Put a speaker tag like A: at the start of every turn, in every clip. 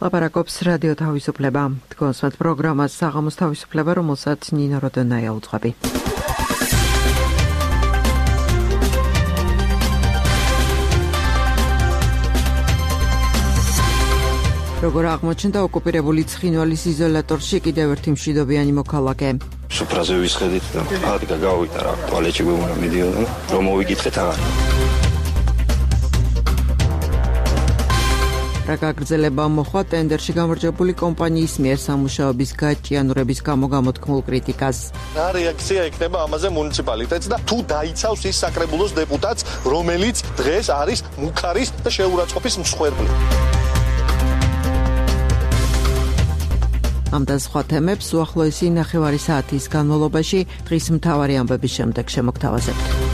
A: ლაპარაკობს რადიო თავისუფლება. თქვენს პროგრამას საღამოს თავისუფლება, რომელსაც ნინო როდონაია უძღვები. როგორ აღმოჩნდა ოკუპირებული ცხინვალის იზოლატორში კიდევ ერთი მშვიდობიანი მოქალაქე.
B: სუფრაზე ვისხედით და ადგა გავიდა რა, ტუალეტში გვემარა მიდიოდა, რომ მოვიკითხეთ აღარ.
A: რა გაგრძელება მოხდა ტენდერში გამარჯვებული კომპანიის მიერ სამუშაოების გაჭიანურების გამო გამოთქმულ კრიტიკას.
C: რა რეაქცია ექნება ამაზე მუნიციპალიტეტს და თუ დაიცავს ის საკრებულოს დეპუტატს, რომელიც დღეს არის მუქარის და შეურაცხყოფის მსხვერპლი.
A: ამ და სხვა თემებს უახლოესი ნახევარი საათის განმავლობაში დღის მთავარი ამბების შემდეგ შემოგთავაზებთ.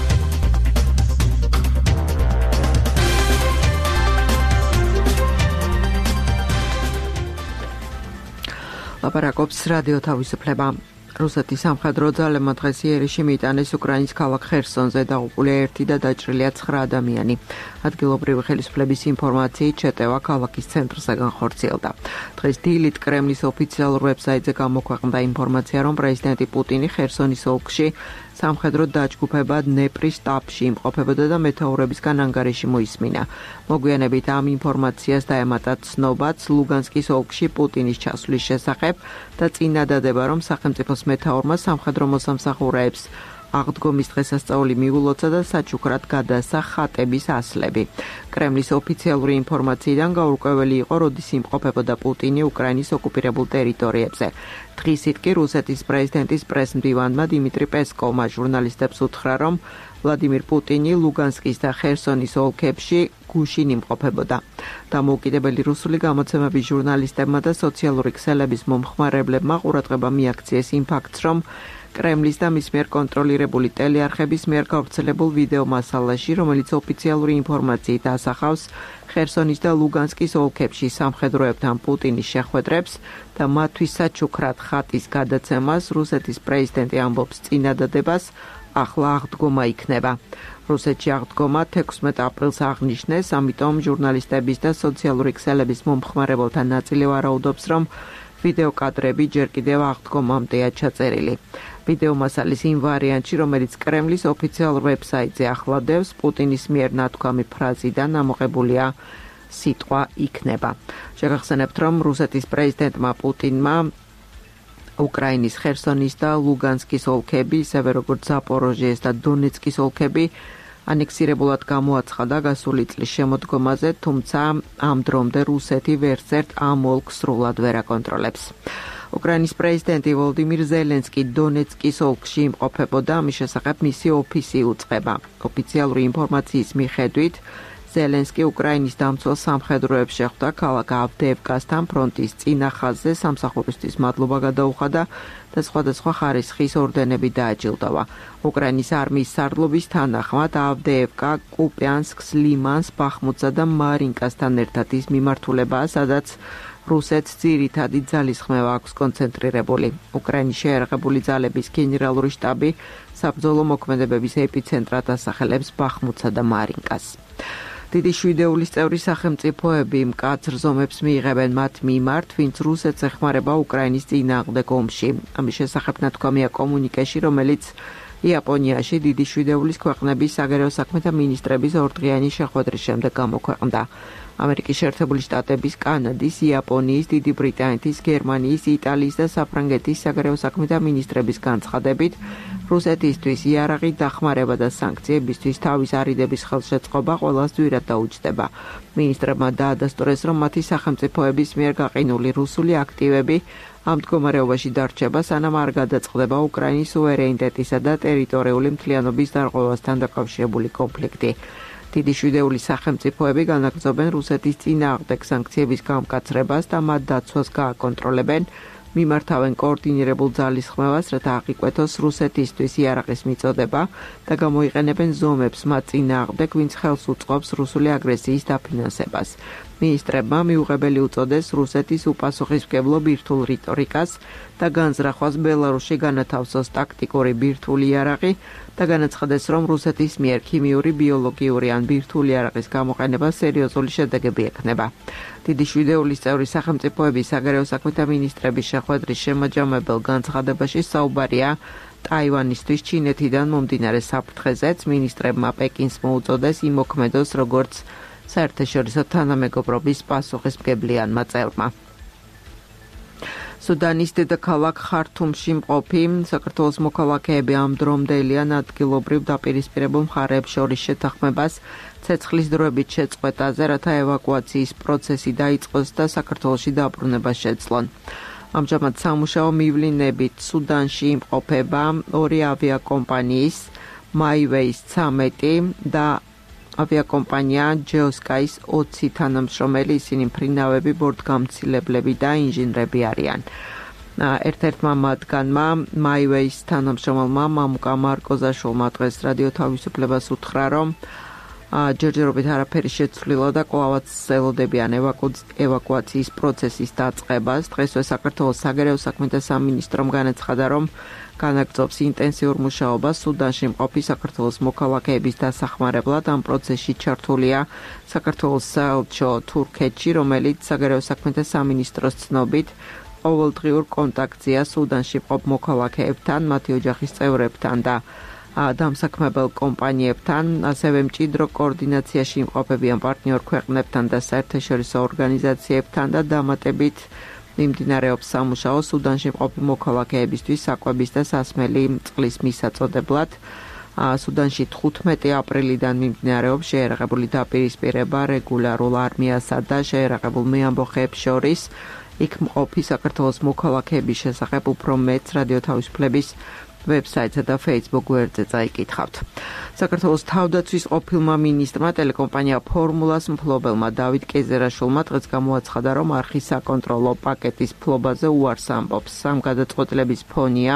A: ლაპარაკობს რადიო თავისუფლება. რუსეთის სამხედრო ძალებმა დღეს იერიში მიიტანეს უკრაინის ქალაქ ხერსონზე, დაღუპულია 1 და დაჭრილია 9 ადამიანი. ადგილობრივი ხელისუფლების ინფორმაციით შეტევა ქალაქის ცენტრზე განხორციელდა. დღეს დილით კრემლის ოფიციალურ ვებსაიტზე გამოქვეყნდა ინფორმაცია, რომ პრეზიდენტი პუტინი ხერსონის ოლქში სამხედრო დაჯგუფებად დნეპრის შტაბში იმყოფებოდა და მეთაურებისგან ანგარიში მოისმინა. მოგვიანებით ამ ინფორმაციას დაემატა ცნობაც ლუგანსკის ოლქში პუტინის ჩასვლის შესახებ და წინადადება, რომ სახელმწიფოს მეთაურმა სამხედრო მოსამსახურეებს აღდგომის დღესასწაული მიულოცა და საჩუქრად გადაასცა ხატების ასლები. კრემლის ოფიციალური ინფორმაციიდან გაურკვეველი იყო, როდის იმყოფებოდა პუტინი უკრაინის ოკუპირებულ ტერიტორიებზე. დღისით კი რუსეთის პრეზიდენტის პრესმდივანმა დიმიტრი პესკოვმა ჟურნალისტებს უთხრა, რომ ვლადიმირ პუტინი ლუგანსკის და ხერსონის ოლქებში გუშინ იმყოფებოდა. დამოუკიდებელი რუსული გამოცემების ჟურნალისტებმა და სოციალური ქსელების მომხმარებლებმა ყურადღება მიაქციეს იმ ფაქტს, რომ კრემლის და მის მიერ კონტროლირებული ტელეარხების მიერ გავრცელებულ ვიდეო მასალაში, რომელიც ოფიციალური ინფორმაციით ასახავს ხერსონის და ლუგანსკის ოლქებში სამხედროებთან პუტინის შეხვედრებს და მათთვის საჩუქრად ხატის გადაცემას, რუსეთის პრეზიდენტი ამბობს წინადადებას, ახლა აღდგომა იქნება. რუსეთში აღდგომა 16 აპრილს აღნიშნეს, ამიტომ ჟურნალისტების და სოციალური ქსელების მომხმარებელთა ნაწილი ვარაუდობს, რომ ვიდეო კადრები ჯერ კიდევ აღდგომამდეა ჩაწერილი. ვიდეო მასალის იმ ვარიანტში, რომელიც კრემლის ოფიციალურ ვებსაიტზე ახლადევს, პუტინის მიერ ნათქვამი ფრაზიდან ამოღებულია სიტყვა იქნება. შეგახსენებთ, რომ რუსეთის პრეზიდენტმა პუტინმა უკრაინის ხერსონის და ლუგანსკის ოლქები, ისევე როგორც ზაპოროჟიეს და დონეცკის ოლქები ანექსირებულად გამოაცხადა გასული წლის შემოდგომაზე, თუმცა ამ დრომდე რუსეთი ვერცერთ ამ ოლქს სრულად ვერ აკონტროლებს. უკრაინის პრეზიდენტი ვოლოდიმირ ზელენსკი დონეცკის ოლქში იმყოფებოდა, ამის შესახებ მისი ოფისი უწყება. ოფიციალური ინფორმაციის მიხედვით, ზელენსკი უკრაინის დამცველ სამხედროებს შეხვდა ქალაქ ავდეევკასთან ფრონტის წინა ხაზზე სამსახურისთვის მადლობა გადაუხადა და სხვადასხვა ხარისხის ორდენები დააჯილდოვა. უკრაინის არმიის სარდლობის თანახმად ავდეევკა კუპიანსკს, ლიმანს, ბახმუტსა და მარინკასთან ერთად ის მიმართულებაა, სადაც რუსეთს ძირითადი ძალისხმევა აქვს კონცენტრირებული. უკრაინის შეიარაღებული ძალების გენერალური შტაბი საბრძოლო მოქმედებების ეპიცენტრად ასახელებს ბახმუტსა და მარინკას. დიდი შვიდეულის წევრი სახელმწიფოები მკაცრ ზომებს მიიღებენ მათ მიმართ, ვინც რუსეთს ეხმარება უკრაინის წინააღმდეგ ომში. ამის შესახებ ნათქვამია კომუნიკეში, რომელიც იაპონიაში დიდი შვიდეულის ქვეყნების საგარეო საქმეთა მინისტრების ორდღიანი შეხვედრის შემდეგ გამოქვეყნდა. ამერიკის შეერთებული შტატების, კანადის, იაპონიის, დიდი ბრიტანეთის, გერმანიის, იტალიის და საფრანგეთის საგარეო საქმეთა მინისტრების განცხადებით, რუსეთისთვის იარაღი დახმარება და სანქციებისთვის თავის არიდების ხელშეწყობა ყველას ძვირად დაუჯდება. მინისტრებმა დაადასტურეს, რომ მათი სახელმწიფოების მიერ გაყინული რუსული აქტივები ამ მდგომარეობაში დარჩება, სანამ არ გადაწყდება უკრაინის სუვერენიტეტისა და ტერიტორიული მთლიანობის დარღვევასთან დაკავშირებული კონფლიქტი. დიდი შვიდეულის სახელმწიფოები განაგრძობენ რუსეთის წინააღმდეგ სანქციების გამკაცრებას და მათ დაცვას გააკონტროლებენ, მიმართავენ კოორდინირებულ ძალისხმევას, რათა აღიკვეთოს რუსეთისთვის იარაღის მიწოდება და გამოიყენებენ ზომებს მათ წინააღმდეგ, ვინც ხელს უწყობს რუსული აგრესიის დაფინანსებას. მინისტრებმა მიუღებელი უწოდეს რუსეთის უპასუხისმგებლო ბირთვულ რიტორიკას და განზრახვას ბელარუსში განათავსოს ტაქტიკური ბირთვული იარაღი, და განაცხადეს, რომ რუსეთის მიერ ქიმიური, ბიოლოგიური ან ბირთვული არაყის გამოყენება სერიოზული შედეგები ექნება. დიდი შვიდეულის წევრი სახელმწიფოების საგარეო საქმეთა მინისტრების შეხვედრის შემაჯამებელ განცხადებაში საუბარია ტაივანისთვის ჩინეთიდან მომდინარე საფრთხეზეც. მინისტრებმა პეკინს მოუწოდეს იმოქმედოს როგორც საერთაშორისო თანამეგობრობის პასუხისმგებლიანმა წევრმა. სუდანის დედაქალაქ ხართუმში მყოფი საქართველოს მოქალაქეები ამ დრომდელიან ადგილობრივ დაპირისპირებულ მხარეებს შორის შეთანხმებას ცეცხლის დროებით შეწყვეტაზე, რათა ევაკუაციის პროცესი დაიწყოს და საქართველოში დაბრუნება შეძლონ. ამჟამად სამუშაო მივლინებით სუდანში იმყოფება 2 ავიაკომპანიის MyWays 13 და ავიაკომპანია Geosky's 20 თანამშრომელი, ისინი მფრინავები, ბორტგამცილებლები და ინჟინრები არიან. ერთ-ერთმა მათგანმა MyWays თანამშრომელმა მამუკა მარკოზაშვილმა დღეს რადიო თავისუფლებას უთხრა, რომ ჯერჯერობით არაფერი შეცვლილა და კვლავაც ელოდებიან ევაკუაციის პროცესის დაწყებას. დღესვე საქართველოს საგარეო საქმეთა სამინისტრომ განაცხადა, რომ განაგრძობს ინტენსიურ მუშაობას სუდანში მყოფი საქართველოს მოქალაქეების დასახმარებლად. ამ პროცესში ჩართულია საქართველოს საელჩო თურქეთში, რომელიც საგარეო საქმეთა სამინისტროს ცნობით ყოველდღიურ კონტაქტზეა სუდანში მყოფ მოქალაქეებთან, მათი ოჯახის წევრებთან და დამსაქმებელ კომპანიებთან, ასევე მჭიდრო კოორდინაციაში იმყოფებიან პარტნიორ ქვეყნებთან და საერთაშორისო ორგანიზაციებთან და დამატებით მიმდინარეობს სამუშაო სუდანში მყოფი მოქალაქეებისთვის საკვების და სასმელი წყლის მისაწოდებლად. სუდანში 15 აპრილიდან მიმდინარეობს შეერაღებული დაპირისპირება რეგულარულ არმიასა და შეერაღებულ მეამბოხეებს შორის. იქ მყოფი საქართველოს მოქალაქეების შესახებ უფრო მეტს რადიო თავისუფლების ვებსაიტსა და Facebook გვერდზე წაიკითხავთ. საქართველოს თავდაცვის ყოფილმა მინისტრმა ტელეკომპანია ფორმულას მფლობელმა დავით კეზერაშვილმა დღეს გამოაცხადა, რომ არხის საკონტროლო პაკეტის ფლობაზე უარს ამბობს. ამ გადაწყვეტილების ფონია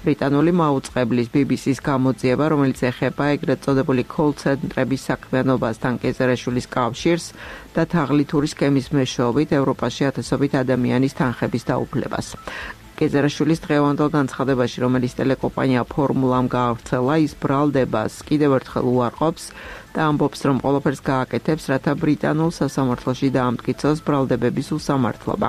A: ბრიტანული მაუწყებლის BBC-ს გამოძიება, რომელიც ეხება ეგრეთ წოდებული კოლ-ცენტრების საქმიანობასთან კეზერაშვილის კავშირს და თაღლითური სქემის მეშვეობით ევროპაში ათასობით ადამიანის თანხების დაუფლებას. კეზერაშვილის დღევანდელ განცხადებაში, რომელიც ტელეკომპანია ფორმულამ გაავრცელა, ის ბრალდებას კიდევ ერთხელ უარყოფს და ამბობს, რომ ყველაფერს გააკეთებს, რათა ბრიტანულ სასამართლოში დაამტკიცოს ბრალდებების უსამართლობა.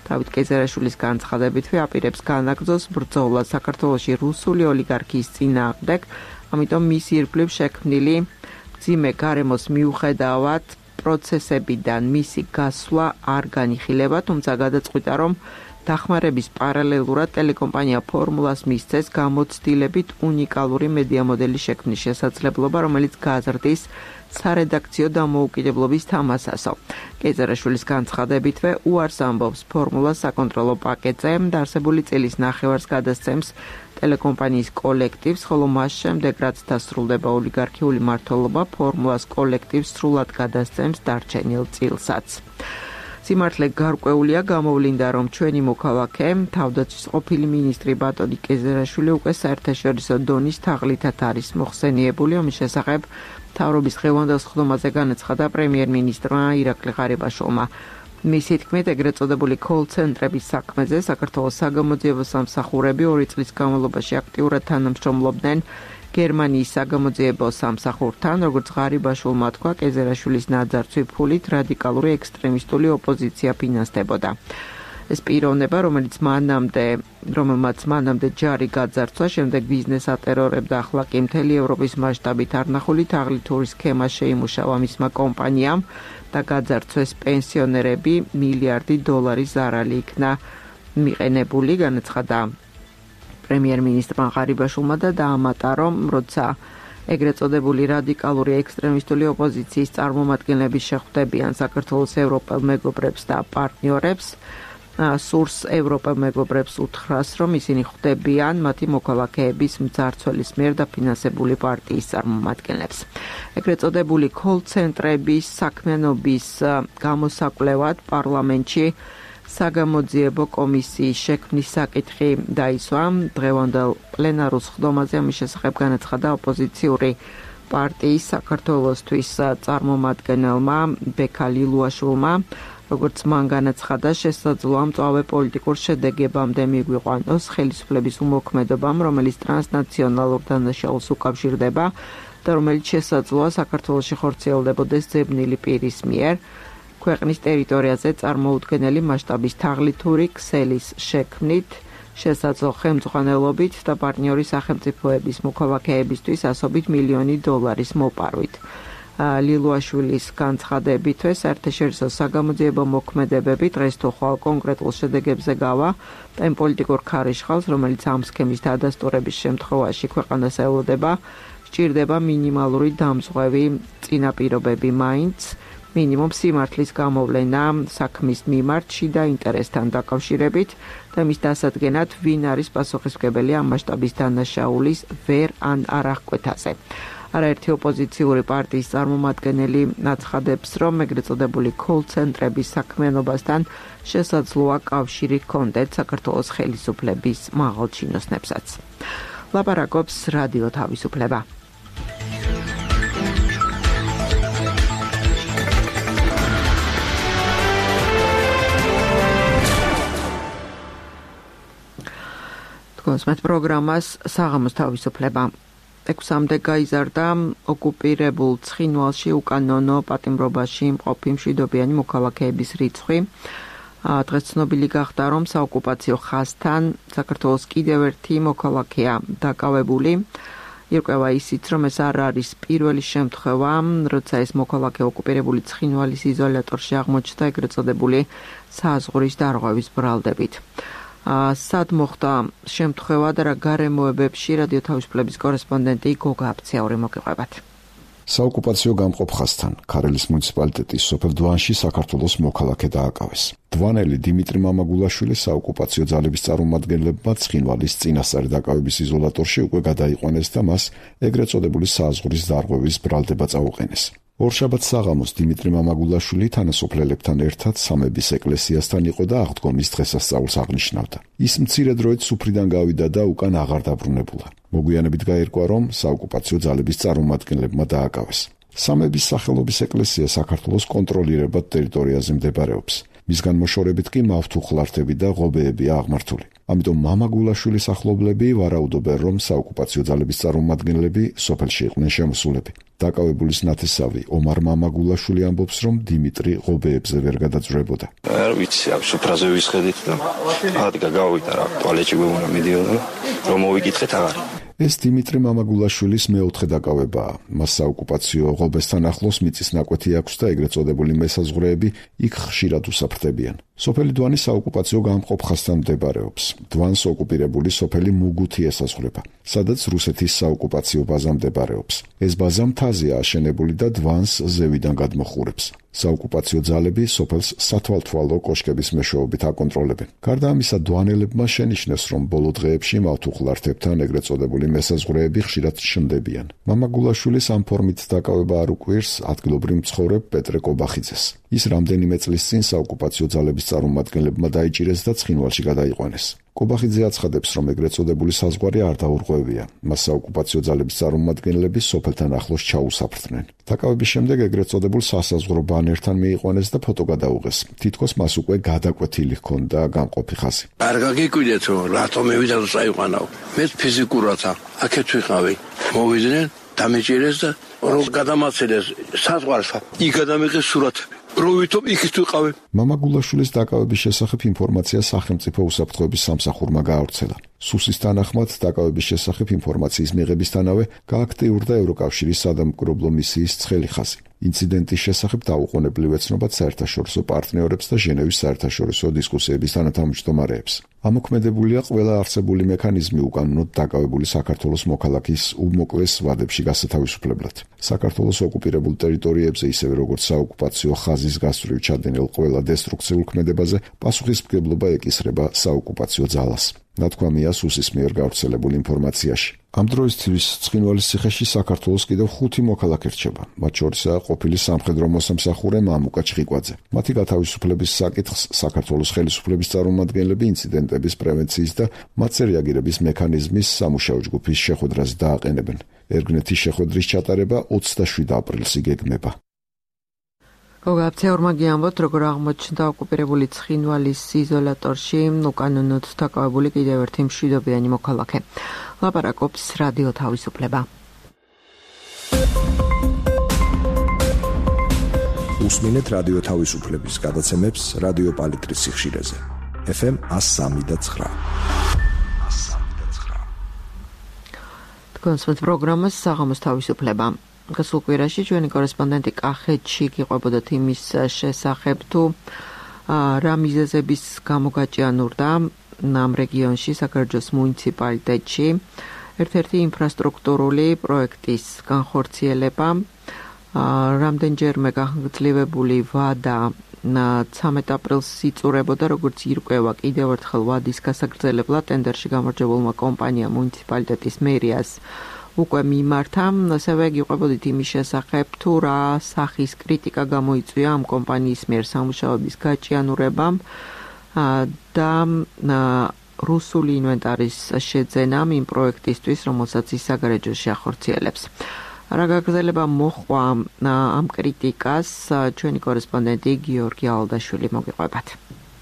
A: დავით კეზერაშვილის განცხადებითვე აპირებს განაგრძოს ბრძოლა საქართველოში რუსული ოლიგარქიის წინააღმდეგ, ამიტომ მის ირგვლივ შექმნილი მძიმე გარემოს მიუხედავად პროცესებიდან მისი გასვლა არ განიხილება, თუმცა გადაწყვიტა, რომ დახმარების პარალელურად ტელეკომპანია ფორმულას მისცეს გამოცდილებით უნიკალური მედია მოდელის შექმნის შესაძლებლობა, რომელიც გაზრდის სარედაქციო დამოუკიდებლობის თამასასო. კეზერაშვილის განცხადებითვე უარს ამბობს ფორმულას საკონტროლო პაკეტზე და არსებული წილის ნახევარს გადასცემს ტელეკომპანიის კოლექტივს, ხოლო მას შემდეგ, რაც დასრულდება ოლიგარქიული მმართველობა, ფორმულას კოლექტივს სრულად გადასცემს დარჩენილ წილსაც. სიმართლე გარკვეულია, გამოვლინდა, რომ ჩვენი მოქალაქე, თავდაცვის ყოფილი მინისტრი ბატონი კეზერაშვილი უკვე საერთაშორისო დონის თაღლითად არის მოხსენიებული, ამის შესახებ მთავრობის დღევანდელ სხდომაზე განაცხადა პრემიერ-მინისტრმა ირაკლი ღარიბაშვილმა. მისი თქმით, ეგრეთ წოდებული კოლ-ცენტრების საქმეზე საქართველოს საგამოძიებო სამსახურები 2 წლის განმავლობაში აქტიურად თანამშრომლობდნენ გერმანიის საგამოძიებო სამსახურთან, როგორც ღარიბაშვილმა თქვა, კეზერაშვილის ნაძარცვი ფულით რადიკალური ექსტრემისტული ოპოზიცია ფინანსდებოდა. ეს პიროვნება, რომელმაც მანამდე ჯარი გაძარცვა, შემდეგ ბიზნეს ატერორებდა, ახლა კი მთელი ევროპის მასშტაბით არნახული თაღლითური სქემა შეიმუშავა მისმა კომპანიამ და გაძარცვეს პენსიონერები, $1 მილიარდი ზარალი იქნა მიყენებული, განაცხადა პრემიერ-მინისტრმა ღარიბაშვილმა და დაამატა, რომ როცა ეგრეთ წოდებული რადიკალური ექსტრემისტული ოპოზიციის წარმომადგენლები შეხვდებიან საქართველოს ევროპელ მეგობრებს და პარტნიორებს, სურს ევროპელ მეგობრებს უთხრას, რომ ისინი ხვდებიან მათი მოქალაქეების მძარცველის მიერ დაფინანსებული პარტიის წარმომადგენლებს. ეგრეთ წოდებული კოლ-ცენტრების საქმიანობის გამოსაკვლევად პარლამენტში საგამოძიებო კომისიის შექმნის საკითხი დაისვა. დღევანდელ პლენარულ სხდომაზე ამის შესახებ განაცხადა ოპოზიციური პარტიის საქართველოსთვის წარმომადგენელმა ბექა ლილუაშვილმა, როგორც მან განაცხადა, შესაძლოა მწვავე პოლიტიკურ შედეგებამდე მიგვიყვანოს ხელისუფლების უმოქმედობამ, რომელიც ტრანსნაციონალურ დანაშაულს უკავშირდება და რომელიც შესაძლოა საქართველოში ხორციელდებოდეს ძებნილი პირის მიერ ქვეყნის ტერიტორიაზე წარმოუდგენელი მასშტაბის თაღლითური ქსელის შექმნით, შესაძლო ხელმძღვანელობით და პარტნიორი სახელმწიფოების მოქალაქეებისთვის ასობით მილიონი დოლარის მოპარვით. ლილუაშვილის განცხადებითვე საერთაშორისო საგამოძიებო მოქმედებები დღეს თუ ხვალ კონკრეტულ შედეგებზე გავა და იმ პოლიტიკურ ქარიშხალს, რომელიც ამ სქემის დადასტურების შემთხვევაში ქვეყანას ელოდება, სჭირდება მინიმალური დამზღვევი წინაპირობები მაინც, მინიმუმ სიმართლის გამოვლენა საქმის მიმართ შიდა ინტერესთან დაკავშირებით და მის დასადგენად ვინ არის პასუხისმგებელი ამ მასშტაბის დანაშაულის ვერ ან არაღკვეთაზე. არაერთი ოპოზიციური პარტიის წარმომადგენელი აცხადებს, რომ ეგრეთ წოდებული კოლ-ცენტრების საქმიანობასთან შესაძლოა კავშირი ჰქონდეთ საქართველოს ხელისუფლების მაღალჩინოსნებსაც. ლაპარაკობს რადიო თავისუფლება. კონსმეთ პროგრამას საღამოს თავისუფლება. 6-მდე გაიზარდა ოკუპირებულ ცხინვალში უკანონო პატიმრობაში მყოფი მშვიდობიანი მოქალაქეების რიცხვი. დღეს ცნობილი გახდა, რომ საოკუპაციო ხაზთან საქართველოს კიდევ ერთი მოქალაქეა დაკავებული. ირკვევა ისიც, რომ ეს არ არის პირველი შემთხვევა, როცა ეს მოქალაქე ოკუპირებული ცხინვალის იზოლატორში აღმოჩნდა ეგრეთ წოდებული საზღვრის დარღვევის ბრალდებით. სად მოხდა შემთხვევა და რა გარემოებებში რადიო თავისუფლების კორესპონდენტი გოგა აფციური მოგიყვებათ.
D: საოკუპაციო გამყოფ ხაზთან ქარელის მუნიციპალიტეტის სოფელ დვანში საქართველოს მოქალაქე დააკავეს. დვანელი დიმიტრი მამაგულაშვილი საოკუპაციო ძალების წარმომადგენლებმა ცხინვალის წინასწარი დაკავების იზოლატორში უკვე გადაიყვანეს და მას ეგრეთ წოდებული საზღვრის დარღვევის ბრალდება წაუყენეს. ორშაბათს საღამოს დიმიტრი მამაგულაშვილი თანასოფლელებთან ერთად სამების ეკლესიასთან იყო და აღდგომის დღესასწაულს აღნიშნავდა. ის მცირე დროით სუფრიდან გავიდა და უკან აღარ დაბრუნებულა. მოგვიანებით გაირკვა, რომ საოკუპაციო ძალების წარმომადგენლებმა დააკავეს. სამების სახელობის ეკლესია საქართველოს კონტროლირებად ტერიტორიაზე მდებარეობს. მისგან მოშორებით კი მავთუხლართები და ღობეებია აღმართული. ამიტომ მამაგულაშვილის ახლობლები ვარაუდობენ, რომ საოკუპაციო ძალების წარმომადგენლები სოფელში იყვნენ შემოსულები. დაკავებულის ნათესავი ომარ მამაგულაშვილი ამბობს, რომ დიმიტრი ღობეებზე ვერ გადაძვრებოდა.
B: არ ვიცი, ამ სუფრაზე ვისხედით და ადგა გავიდა რა, ტუალეტში გვეუბნა მიდიოდა, რომ მოვიკითხეთ აღარ.
D: ეს დიმიტრი მამაგულაშვილის მეოთხე დაკავებაა. მას საოკუპაციო ღობესთან ახლოს მიწის ნაკვეთი აქვს და ეგრეთ წოდებული მესაზღვრეები იქ ხშირად უსაფრთხებიან. სოფელი დვანი საოკუპაციო გამყოფ ხაზთან მდებარეობს. დვანს ოკუპირებული სოფელი მუგუთი ესაზღვრება, სადაც რუსეთის საოკუპაციო ბაზა მდებარეობს. ეს ბაზა მთაზეა აშენებული და დვანს ზევიდან გადმოხურებს. საოკუპაციო ძალები სოფელს სათვალთვალო კოშკების მეშვეობით აკონტროლებენ. გარდა ამისა, დვანელებმა შენიშნეს, რომ ბოლო დღეებში მავთუხლართებთან ეგრეთ წოდებული მესაზღვრეები ხშირად ჩნდებიან. მამაგულაშვილის ამ ფორმით დაკავება არ უკვირს ადგილობრივ მცხოვრებ პეტრე კობახიძეს. ის რამდენიმე წლის წინ საოკუპაციო ძალების წარმომადგენლებმა დაიჭირეს და ცხინვალში გადაიყვანეს. კობახიძე აცხადებს, რომ ეგრეთ წოდებული საზღვარი არ დაურღვევია. მას საოკუპაციო ძალების წარმომადგენლები სოფელთან ახლოს ჩაუსაფრთხნენ. დაკავების შემდეგ ეგრეთ წოდებულ სასაზღვრო ბანერთან მიიყვანეს და ფოტო გადაუღეს. თითქოს მას უკვე გადაკვეთილი ჰქონდა გამყოფი ხაზი.
E: არ გაგიკვირდეთ, რომ რატომ მივიდა და წაიყვანავ. მე ფიზიკურათა აქეთ ვიყავი. მოვიდნენ, დამეჭირეს და რომ გადამაცილეს საზღვარსა. იქ გადამიღეს სურათი. როვითომ იქით ვიყავი.
D: მამაგულაშვილის დაკავების შესახებ ინფორმაცია სახელმწიფო უსაფრთხოების სამსახურმა გაავრცელა. სუსის თანახმად დაკავების შესახებ ინფორმაციის მიღებისთანავე გააქტიურდა ევროკავშირის სადამკვირვებლო მისიის ცხელი ხაზი. ინციდენტის შესახებ დაუყოვნებლივ ეცნობათ საერთაშორისო პარტნიორებს და ჟენევის საერთაშორისო დისკუსიების თანათავმჯდომარეებს. ამოქმედებულია ყველა არსებული მექანიზმი უკანონოდ დაკავებული საქართველოს მოქალაქის უმოკლეს ვადებში გასათავისუფლებლად. საქართველოს ოკუპირებულ ტერიტორიებზე, ისევე როგორც საოკუპაციო ხაზის გასწვრივ ჩადენილ ყველა დესტრუქციულ ქმედებაზე პასუხისმგებლობა ეკისრება საოკუპაციო ძალას. ნათქვამია სუსის მიერ გავრცელებულ ინფორმაციაში. ამ დროისთვის ცხინვალის ციხეში საქართველოს კიდევ 5 მოქალაქე რჩება. მათ შორისაა ყოფილი სამხედრო მოსამსახურე მამუკა ჩხიკვაძე. მათი გათავისუფლების საკითხს საქართველოს ხელისუფლების წარმომადგენლები ინციდენტების პრევენციის და მათზე რეაგირების მექანიზმის სამუშაო ჯგუფის შეხვედრაზე დააყენებენ. ერგნეთის შეხვედრის ჩატარება 27 აპრილს იგეგმება.
A: გოგაფცეურმა გიამბოთ, როგორ აღმოჩნდა ოკუპირებული ცხინვალის იზოლატორში უკანონოდ დაკავებული კიდევ ერთი მშვიდობიანი მოქალაქე. ლაპარაკობს რადიო თავისუფლება.
F: უსმინეთ რადიო თავისუფლების გადაცემებს რადიო პალიტრის სიხშირეზე. FM 103.9.
A: თქვენს პროგრამას საღამოს თავისუფლება. გასულ კვირაში ჩვენი კორესპონდენტი კახეთში გიყვებოდათ იმის შესახებ, თუ რა მიზეზების გამო გაჭიანურდა ამ რეგიონში, საკრაჯოს მუნიციპალიტეტში, ერთ-ერთი ინფრასტრუქტურული პროექტის განხორციელება, რამდენჯერმე გაგრძელებული ვადა 13 აპრილს იწურებოდა, როგორც ირკვევა კიდევ ერთხელ ვადის გასაგრძელებლად ტენდერში გამარჯვებულმა კომპანიამ მუნიციპალიტეტის მერიას უკვე მიმართა. ასევე გიყვებოდით იმის შესახებ, თუ რა სახის კრიტიკა გამოიწვია ამ კომპანიის მიერ სამუშაოების გაჭიანურებამ და რუსული ინვენტარის შეძენამ იმ პროექტისთვის, რომელსაც ის საგარეჯოში ახორციელებს. რა გაგრძელება მოჰყვა ამ კრიტიკას, ჩვენი კორესპონდენტი გიორგი ალდაშვილი მოგიყვებათ.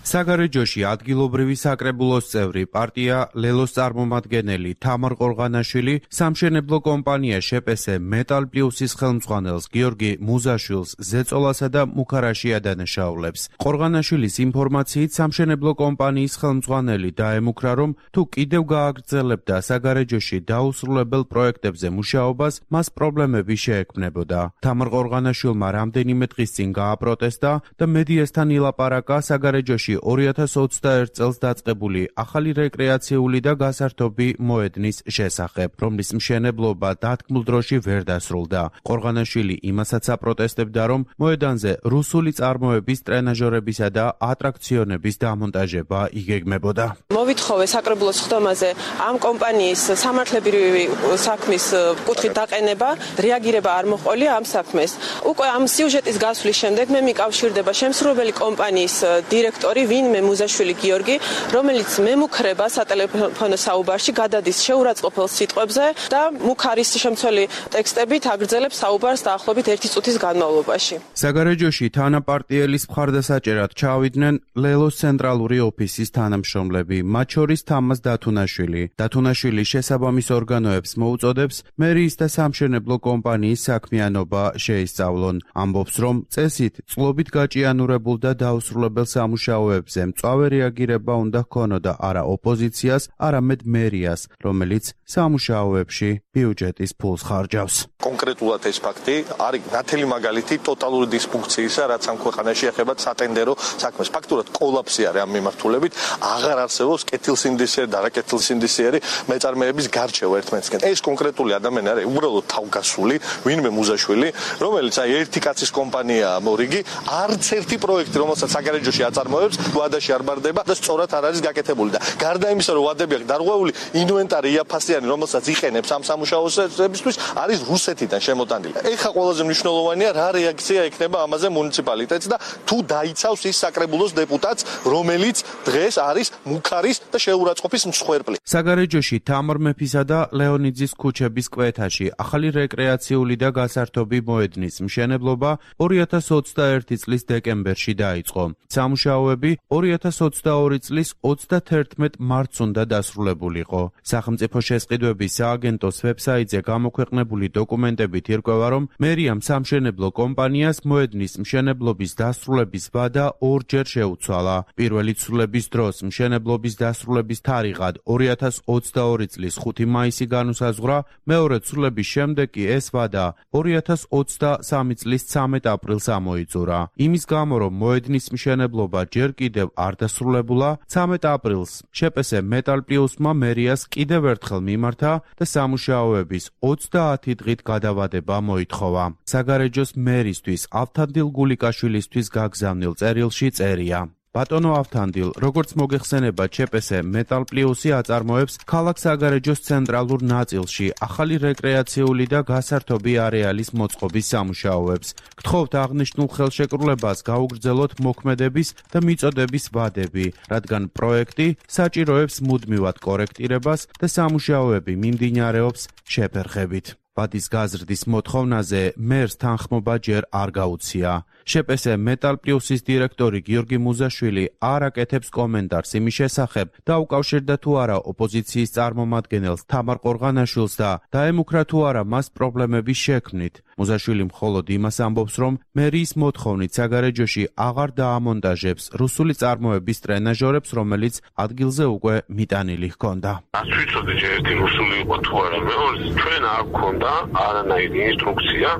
G: საგარეჯოში ადგილობრივი საკრებულოს წევრი პარტია ლელოს წარმომადგენელი თამარ ყორღანაშვილი სამშენებლო კომპანია შეპესე მეტალ პლუსის ხელმძღვანელს გიორგი მუზაშვილს ზეწოლასა და მუქარაში ადანაშაულებს. ყორღანაშვილის ინფორმაციით სამშენებლო კომპანიის ხელმძღვანელი დაემუქრა, რომ თუ კიდევ გააგრძელებდა საგარეჯოში დაუსრულებელ პროექტებზე მუშაობას, მას პრობლემები შეექმნებოდა. თამარ ყორღანაშვილმა რამდენიმე დღის წინ გააპროტესტა და მედიასთან ილაპარაკა საგარეჯოში 2021 წელს დაწყებული ახალი რეკრეაციული და გასართობი მოედნის შესახებ, რომლის მშენებლობა დათქმულ დროში ვერ დასრულდა. ყორღანაშვილი იმასაც აპროტესტებდა, რომ მოედანზე რუსული წარმოების ტრენაჟორებისა და ატრაქციონების დამონტაჟება იგეგმებოდა.
H: მოვითხოვე საკრებულოს ხდომაზე ამ კომპანიის სამართლებრივი საქმის კუთხით დაყენება, რეაგირება არ მოჰყოლია ამ საქმეს. უკვე ამ სიუჟეტის გასვლის შემდეგ მე მიკავშირდება შემსრულებელი კომპანიის დირექტორი ვინმე მუზაშვილი გიორგი, რომელიც მემუქრება სატელეფონო საუბარში, გადადის შეურაცხყოფელ სიტყვებზე და მუქარის შემცველი ტექსტებით აგრძელებს საუბარს დაახლოებით 1 წუთის განმავლობაში.
G: საგარეჯოში თანაპარტიელის მხარდასაჭერად ჩავიდნენ ლელოს ცენტრალური ოფისის თანამშრომლები, მათ შორის თამაზ დათუნაშვილი. დათუნაშვილი შესაბამის ორგანოებს მოუწოდებს მერიის და სამშენებლო კომპანიის საქმიანობა შეისწავლონ. ამბობს, რომ წესით წყლობით გაჭიანურებულ და დაუსრულებელ სამუშაოებზე მწვავე რეაგირება უნდა ჰქონოდა არა ოპოზიციას, არამედ მერიას, რომელიც სამუშაოებში ბიუჯეტის ფულს ხარჯავს.
C: კონკრეტულად ეს ფაქტი არის ნათელი მაგალითი ტოტალური დისფუნქციისა, რაც ამ ქვეყანაში ეხება სატენდერო საქმეს. ფაქტურად კოლაფსი არის ამ მიმართულებით, აღარ არსებობს კეთილსინდისიერი და არაკეთილსინდისიერი მეწარმეების გარჩევა ერთმანეთისგან. ეს კონკრეტული ადამიანი არის უბრალოდ თავგასული, ვინმე მუზაშვილი, რომელიც ერთი კაცის კომპანიაა მორიგი, არც ერთი პროექტი, რომელსაც საგარეჯოში აწარმოებს, ვადაში არ ბარდება და სწორად არ არის გაკეთებული და გარდა იმისა, რომ ვადები აქვს დარღვეული, ინვენტარი იაფასიანი, რომელსაც იყენებს ამ სამუშაოებისთვის, არის რუსეთიდან შემოტანილი. ეხა ყველაზე მნიშვნელოვანია, რა რეაქცია ექნება ამაზე მუნიციპალიტეტს და თუ დაიცავს ის საკრებულოს დეპუტატს, რომელიც დღეს არის მუქარის და შეურაცხყოფის მსხვერპლი.
G: საგარეჯოში თამარ მეფისა და ლეონიძის ქუჩების კვეთაში ახალი რეკრეაციული და გასართობი მოედნის მშენებლობა 2021 წლის დეკემბერში დაიწყო. სამუშაოები 2022 წლის 31 მარტს უნდა დასრულებულიყო. სახელმწიფო შესყიდვების სააგენტოს ვებსაიტზე გამოქვეყნებული დოკუმენტებით ირკვევა, რომ მერიამ სამშენებლო კომპანიას მოედნის მშენებლობის დასრულების ვადა ორჯერ შეუცვალა. პირველი ცვლილების დროს მშენებლობის დასრულების თარიღად 2022 წლის 5 მაისი განუსაზღვრა, მეორე ცვლილების შემდეგ კი ეს ვადა 2023 წლის 13 აპრილს ამოიწურა. იმის გამო, რომ მოედნის მშენებლობა ჯერ კიდევ არ დასრულებულა, 13 აპრილს შეპესე მეტალ პლუსმა მერიას კიდევ ერთხელ მიმართა და სამუშაოების 30 დღით გადავადება მოითხოვა. საგარეჯოს მერისთვის ავთანდილ გულიკაშვილისთვის გაგზავნილ წერილში წერია: ბატონო ავთანდილ, როგორც მოგეხსენება, ჩეპესე მეტალ პლუსი აწარმოებს ქალაქ საგარეჯოს ცენტრალურ ნაწილში ახალი რეკრეაციული და გასართობი არეალის მოწყობის სამუშაოებს. გთხოვთ აღნიშნულ ხელშეკრულებას გაუგრძელოთ მოქმედების და მიწოდების ვადები, რადგან პროექტი საჭიროებს მუდმივად კორექტირებას და სამუშაოები მიმდინარეობს შეფერხებით. ვადის გაზრდის მოთხოვნაზე მერს თანხმობა ჯერ არ გაუცია. შპს მეტალ პლუსის დირექტორი გიორგი მუზაშვილი არ აკეთებს კომენტარს იმის შესახებ, დაუკავშირდა თუ არა ოპოზიციის წარმომადგენელს თამარ ყორღანაშვილს და დაემუქრა თუ არა მას პრობლემების შექმნით. მუზაშვილი მხოლოდ იმას ამბობს, რომ მერიის მოთხოვნით საგარეჯოში აღარ დაამონტაჟებს რუსული წარმოების ტრენაჟორებს, რომელიც ადგილზე უკვე მიტანილი ჰქონდა.
I: Ας ვიცოდი ერთი რუსული იყო თუ არა, მეორე ჩვენ არ გქონდა არანაირი ინსტრუქცია,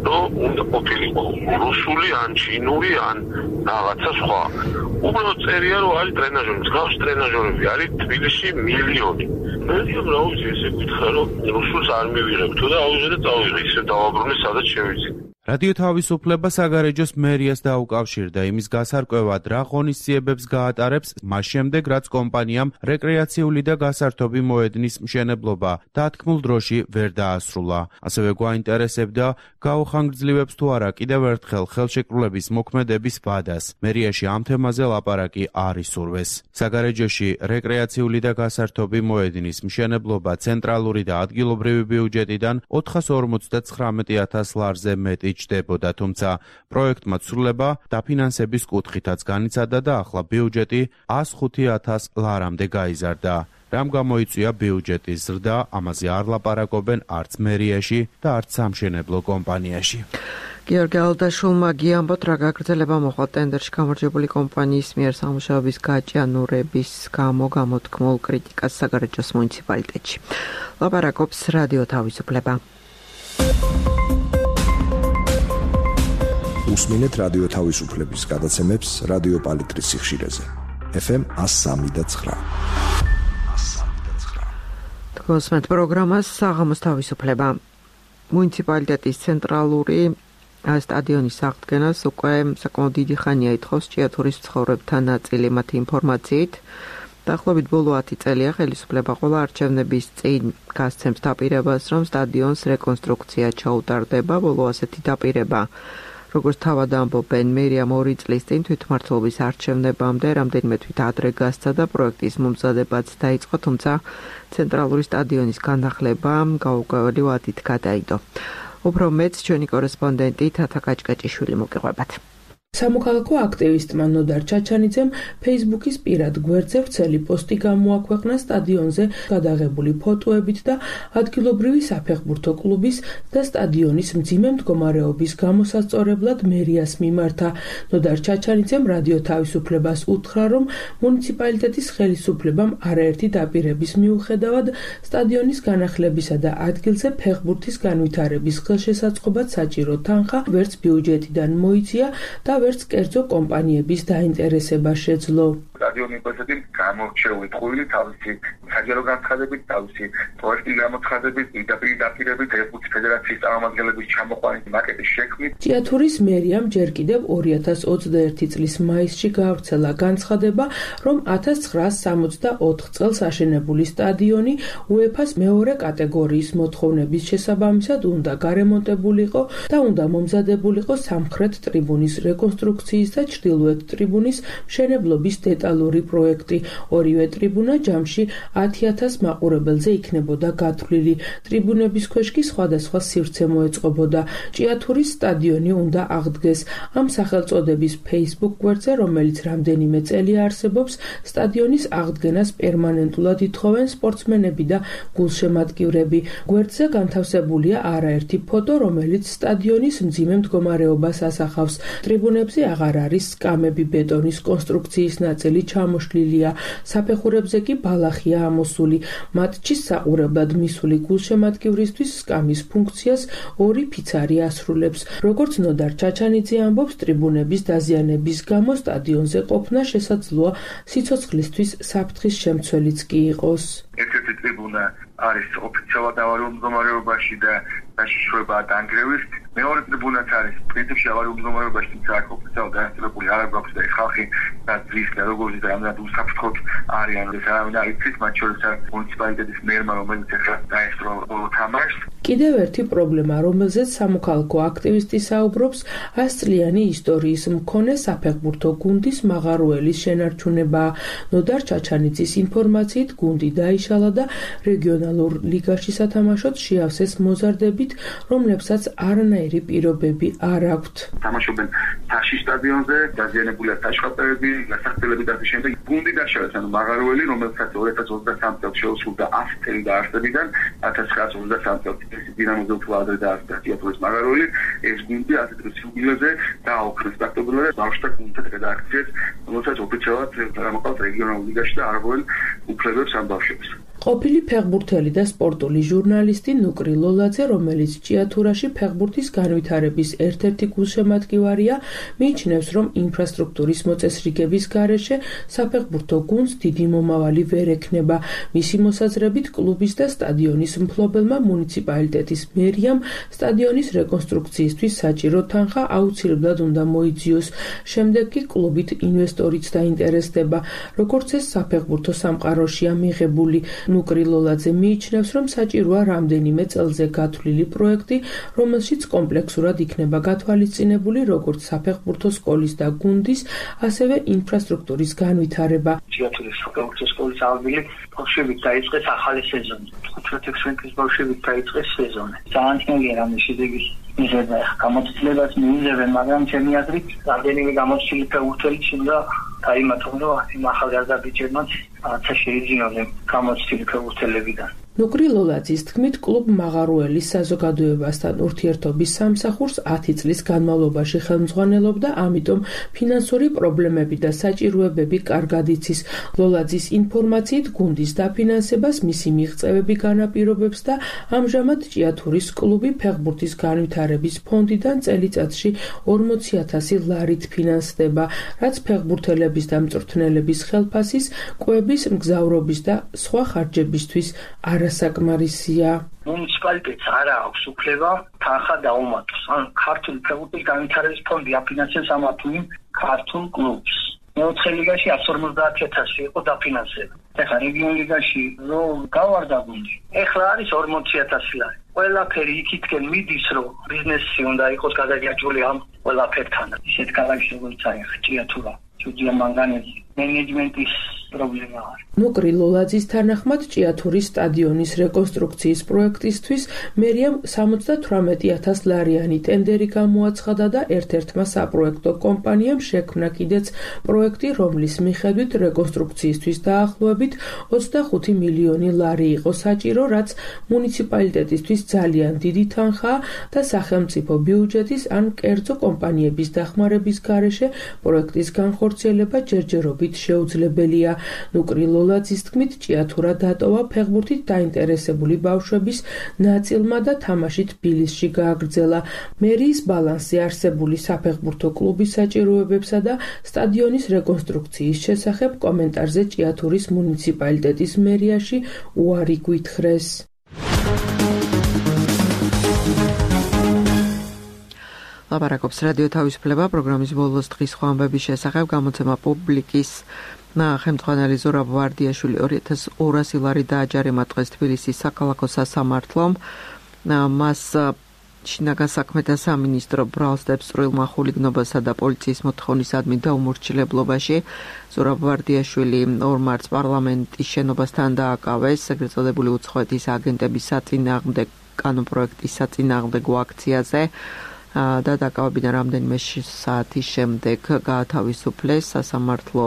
I: რომ უნდა ყოფილიყო რუსული ან ჩინური ან რაღაცა სხვა. უბრალოდ წერია, რომ არის ტრენაჟორი, მსგავს ტრენაჟორები არის თბილისში მილიონი. მე რა ვიცი, ესე გითხრა, რომ რუსულს არ მივიღებ თუ და აუზე და წავიღე, ისე დავაბრუნე, სადაც შევიცი.
G: რადიო თავისუფლება საგარეჯოს მერიას დაუკავშირდა იმის გასარკვევად, რა ღონისძიებებს გაატარებს მას შემდეგ, რაც კომპანიამ რეკრეაციული და გასართობი მოედნის მშენებლობა დათქმულ დროში ვერ დაასრულა. ასევე გვაინტერესებდა, გაუხანგრძლივებს თუ არა კიდევ ერთხელ ხელშეკრულების მოქმედების ვადას. მერიაში ამ თემაზე ლაპარაკი არ ისურვეს. საგარეჯოში რეკრეაციული და გასართობი მოედნის მშენებლობა ცენტრალური და ადგილობრივი ბიუჯეტიდან 459,000 ლარზე მეტი ჭდებოდა, თუმცა პროექტმა ცვლილება დაფინანსების კუთხითაც განიცადა და ახლა ბიუჯეტი 105,000 ლარამდე გაიზარდა. რამ გამოიწვია ბიუჯეტის ზრდა, ამაზე არ ლაპარაკობენ არც მერიაში და არც სამშენებლო კომპანიაში.
A: გიორგი ალდაშვილმა გიამბოთ, რა გაგრძელება მოხდა ტენდერში გამარჯვებული კომპანიის მიერ სამუშაოების გაჭიანურების გამო გამოთქმულ კრიტიკას საგარეჯოს მუნიციპალიტეტში. ლაპარაკობს რადიო თავისუფლება.
F: უსმინეთ რადიო თავისუფლების გადაცემებს რადიო პალიტრის სიხშირეზე. FM 103.9.
A: თქვენს პროგრამას საღამოს თავისუფლება. მუნიციპალიტეტის ცენტრალური სტადიონის აღდგენას უკვე საკმაოდ დიდი ხანია ითხოვს ჭიათურის მცხოვრებთა ნაწილი. მათი ინფორმაციით, დაახლოებით ბოლო 10 წელია ხელისუფლება ყველა არჩევნების წინ გასცემს დაპირებას, რომ სტადიონს რეკონსტრუქცია ჩაუტარდება. ბოლო ასეთი დაპირება, როგორც თავად ამბობენ, მერიამ 2 წლის წინ თვითმმართველობის არჩევნებამდე რამდენიმე თვით ადრე გასცა და პროექტის მომზადებაც დაიწყო, თუმცა ცენტრალური სტადიონის განახლება გაურკვეველი ვადით გადაიდო. უფრო მეც ჩვენი კორესპონდენტი თათა კაჭკაჭიშვილი მოგიყვებათ.
J: სამოქალაქო აქტივისტმა ნოდარ ჩაჩანიძემ ფეისბუქის პირად გვერდზე ვრცელი პოსტი გამოაქვეყნა სტადიონზე გადაღებული ფოტოებით და ადგილობრივი საფეხბურთო კლუბის და სტადიონის მძიმე მდგომარეობის გამოსასწორებლად მერიას მიმართა. ნოდარ ჩაჩანიძემ რადიო თავისუფლებას უთხრა, რომ მუნიციპალიტეტის ხელისუფლებამ არაერთი დაპირების მიუხედავად სტადიონის განახლებისა და ადგილზე ფეხბურთის განვითარების ხელშესაწყობად საჭირო თანხა ვერც ბიუჯეტიდან მოიცია და ვერც კერძო კომპანიების დაინტერესება შეძლო.
K: სტადიონი პოსტი გამორჩეული ტყუილი თავისი საჯარო განცხადებით, თავისი პროექტი გამოცხადებით, პირდაპირ დაპირებით ფეხბურთის ფედერაციის წარმომადგენლების ჩამოყვანით მაკეტის შექმნით.
J: ჭიათურის მერიამ ჯერ კიდევ 2021 წლის მაისში გაავრცელა განცხადება, რომ 1964 წელს აშენებული სტადიონი UEFA-ს მეორე კატეგორიის მოთხოვნების შესაბამისად უნდა გარემონტებულიყო და უნდა მომზადებულიყო სამხრეთ ტრიბუნის რეკონსტრუქციის და ჩრდილოეთ ტრიბუნის მშენებლობის დეტალური პროექტი. ორივე ტრიბუნა ჯამში 10,000 მაყურებელზე იქნებოდა გათვლილი. ტრიბუნების ქვეშ კი სხვადასხვა სივრცე მოეწყობოდა. ჭიათურის სტადიონი უნდა აღდგეს. ამ სახელწოდების Facebook გვერდზე, რომელიც რამდენიმე წელია არსებობს, სტადიონის აღდგენას პერმანენტულად ითხოვენ სპორტსმენები და გულშემატკივრები. გვერდზე განთავსებულია არაერთი ფოტო, რომელიც სტადიონის მძიმე მდგომარეობას ასახავს. ტრიბუნებზე აღარ არის სკამები, ბეტონის კონსტრუქციის ნაწილი ჩამოშლილია. საფეხურებზე კი ბალახია ამოსული. მატჩის საყურებლად მისული გულშემატკივრისთვის სკამის ფუნქციას 2 ფიცარი ასრულებს. როგორც ნოდარ ჩაჩანიძე ამბობს, ტრიბუნების დაზიანების გამო სტადიონზე ყოფნა შესაძლოა სიცოცხლისთვის საფრთხის შემცველიც კი იყოს.
K: ერთ-ერთი ტრიბუნა არის ოფიციალურად ავარიულ მდგომარეობაში და დაშიშვლება დანგრევის. მეორე ტრიბუნაც არის პრინციპში ავარიულ მდგომარეობაში, თუმცა აქ ოფიციალურად განაწილებული არ გვაქვს და ხალხი და ძის და როგორც და რამდენად უსაფრთხოდ არიან. ეს არავინ არ იცის, მათ შორის მუნიციპალიტეტის მერმა, რომელიც ახლა დაესწრო ბოლო თამაშს.
J: კიდევ ერთი პრობლემა, რომელზეც სამოქალაქო აქტივისტი საუბრობს, 100 წლიანი ისტორიის მქონე საფეხბურთო გუნდის მაღაროელის შენარჩუნება. ნოდარ ჩაჩანიძის ინფორმაციით, გუნდი დაიშალა და რეგიონალურ ლიგაში სათამაშოდ შეავსეს მოზარდებით, რომლებსაც არანაირი პირობები არ აქვთ.
K: თამაშობენ თაშის სტადიონზე, დაზიანებულია საშუალებები, გასახდელები და შემდეგ გუნდი დაშალეს, ანუ მაღაროელი, რომელსაც 2023 წელს შეუსრულდა 100 წელი დაარსებიდან, 1923 წელს დინამოზე უფრო ადრე დაარსდა თეატრის მაღაროელი, ეს გუნდი ასეთ რესურსებზე დააოხრეს პრაქტიკულად და ბავშვთა გუნდთა რედაქციას, რომელსაც ოფიციალურად გამოყავს რეგიონალურ ლიგაში და არღვევენ უფლებებს ამ ბავშვებს.
J: ყოფილი ფეხბურთელი და სპორტული ჟურნალისტი ნუკრი ლოლაძე, რომელიც ჭიათურაში ფეხბურთის განვითარების ერთ-ერთი გულშემატკივარია, მიიჩნევს, რომ ინფრასტრუქტურის მოწესრიგების გარეშე საფეხბურთო გუნდს დიდი მომავალი ვერ ექნება. მისი მოსაზრებით, კლუბის და სტადიონის მფლობელმა მუნიციპალიტეტის მერიამ სტადიონის რეკონსტრუქციისთვის საჭირო თანხა აუცილებლად უნდა მოიძიოს. შემდეგ კი კლუბით ინვესტორიც დაინტერესდება, როგორც ეს საფეხბურთო სამყაროშია მიღებული. ნუკრი ლოლაძე მიიჩნევს, რომ საჭიროა რამდენიმე წელზე გათვლილი პროექტი, რომელშიც კომპლექსურად იქნება გათვალისწინებული როგორც საფეხბურთო სკოლის და გუნდის, ასევე ინფრასტრუქტურის განვითარება.
L: ჭიათურის საფეხბურთო სკოლის აღდგილი ბავშვებით დაიწყეს ახალი სეზონი. 15-16 წლის ბავშვებით დაიწყეს სეზონი. ძალიან ძნელია რამე შედეგის მიღება. გამოცდილებას მიუძებენ, მაგრამ ჩემი აზრით, რამდენიმე გამოცდილი ფეხბურთელიც უნდა დაიმატონ, რომ იმ ახალგაზრდა ბიჭებმაც რაცა შეიძინონ გამოცდილი ფეხბურთელებიდან.
J: ნუკრი ლოლაძის თქმით, კლუბ მაღაროელის საზოგადოებასთან ურთიერთობის სამსახურს 10 წლის განმავლობაში ხელმძღვანელობდა, ამიტომ ფინანსური პრობლემები და საჭიროებები კარგად იცის. ლოლაძის ინფორმაციით, გუნდის დაფინანსებას მისი მიღწევები განაპირობებს და ამჟამად ჭიათურის კლუბი ფეხბურთის განვითარების ფონდიდან წელიწადში 40,000 ლარით ფინანსდება, რაც ფეხბურთელების და მწვრთნელების ხელფასის, კვების, მგზავრობის და სხვა ხარჯებისთვის არასაკმარისია.
L: მუნიციპალიტეტს არ აქვს უფლება თანხა დაუმატოს. ან ქართული ფეხბურთის განვითარების ფონდი აფინანსებს ამა თუ იმ ქართულ კლუბს. მეოთხე ლიგაში 150,000 იყო დაფინანსება. ეხლა რეგიონ ლიგაში რომ გავარდა გუნდი, ეხლა არის 40,000 ლარი. ყველაფერი იქითკენ მიდის, რომ ბიზნესი უნდა იყოს გადაგიაჭრული ამ ყველაფერთან. ისეთ ქალაქში როგორც არის ჭიათურა, ჯუდია მანგანეზი, მენეჯმენტის პრობლემა არის.
J: ნუკრი ლოლაძის თანახმად, ჭიათურის სტადიონის რეკონსტრუქციის პროექტისთვის მერიამ 78,000 ლარიანი ტენდერი გამოაცხადა და ერთ-ერთმა საპროექტო კომპანიამ შექმნა კიდეც პროექტი, რომლის მიხედვით რეკონსტრუქციისთვის დაახლოებით 25 მილიონი ლარი იყო საჭირო, რაც მუნიციპალიტეტისთვის ძალიან დიდი თანხაა და სახელმწიფო ბიუჯეტის ან კერძო კომპანიების დახმარების გარეშე პროექტის განხორციელება ჯერჯერობით შეუძლებელია. ნუკრი ლოლაძის თქმით, ჭიათურა დატოვა ფეხბურთით დაინტერესებული ბავშვების ნაწილმა და თამაში თბილისში გააგრძელა. მერიის ბალანსზე არსებული საფეხბურთო კლუბის საჭიროებებსა და სტადიონის რეკონსტრუქციის შესახებ კომენტარზე ჭიათურის მუნიციპალიტეტის მერიაში უარი გვითხრეს.
A: ლაპარაკობს რადიო თავისუფლება პროგრამის ბოლოს დღის სხვა ამბების შესახებ. გამოცემა პუბლიკის ხელმძღვანელი ზურაბ ვარდიაშვილი 2,200 ლარი დააჯარიმა დღეს თბილისის საქალაქო სასამართლომ. მას შინაგან საქმეთა სამინისტრო ბრალს დებს წვრილმა ხულიგნობასა და პოლიციის მოთხოვნისადმი დაუმორჩილებლობაში. ზურაბ ვარდიაშვილი 2 მარტს პარლამენტის შენობასთან დააკავეს ეგრეთ წოდებული უცხოეთის აგენტების საწინააღმდეგო კანონპროექტის საწინააღმდეგო აქციაზე. და დაკავებიდან რამდენიმე საათის შემდეგ გაათავისუფლეს. სასამართლო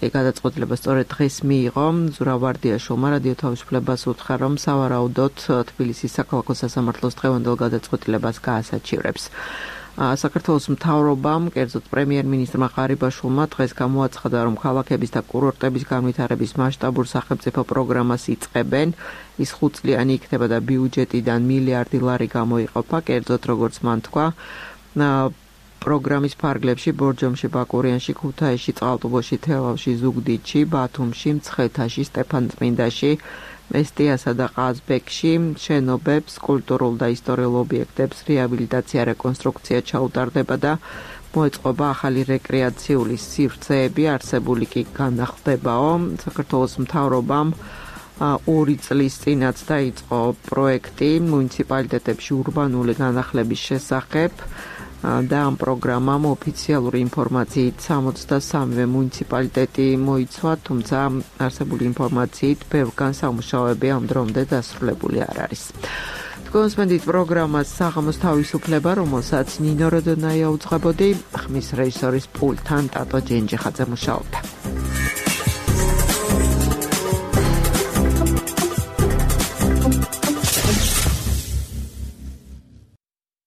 A: გადაწყვეტილება სწორედ დღეს მიიღო. ზურაბ ვარდიაშვილმა რადიო თავისუფლებას უთხრა, რომ სავარაუდოდ თბილისის საქალაქო სასამართლოს დღევანდელ გადაწყვეტილებას გაასაჩივრებს. საქართველოს მთავრობამ, კერძოდ პრემიერ-მინისტრმა ღარიბაშვილმა დღეს გამოაცხადა, რომ ქალაქების და კურორტების განვითარების მასშტაბურ სახელმწიფო პროგრამას იწყებენ. ის 5 წლიანი იქნება და ბიუჯეტიდან მილიარდი ლარი გამოიყოფა, კერძოდ როგორც მან თქვა, პროგრამის ფარგლებში ბორჯომში, ბაკურიანში, ქუთაისში, წყალტუბოში, თელავში, ზუგდიდში, ბათუმში, მცხეთაში, სტეფანწმინდაში, მესტიასა და ყაზბეგში შენობებს, კულტურულ და ისტორიულ ობიექტებს რეაბილიტაცია, რეკონსტრუქცია ჩაუტარდება და მოეწყობა ახალი რეკრეაციული სივრცეები, არსებული კი განახლდებაო. საქართველოს მთავრობამ 2 წლის წინაც დაიწყო პროექტი მუნიციპალიტეტებში ურბანული განახლების შესახებ და ამ პროგრამამ ოფიციალური ინფორმაციით 63-ვე მუნიციპალიტეტი მოიცვა, თუმცა არსებული ინფორმაციით ბევრგან სამუშაოები ამ დრომდე დასრულებული არ არის. კონსპენდით პროგრამას საღამოს თავისუფლება, რომელსაც ნინო როდონაია უძღვებოდი, ხმის რეჟისორის პულტთან ტატო ჯენჯიხაძე მუშაობდა.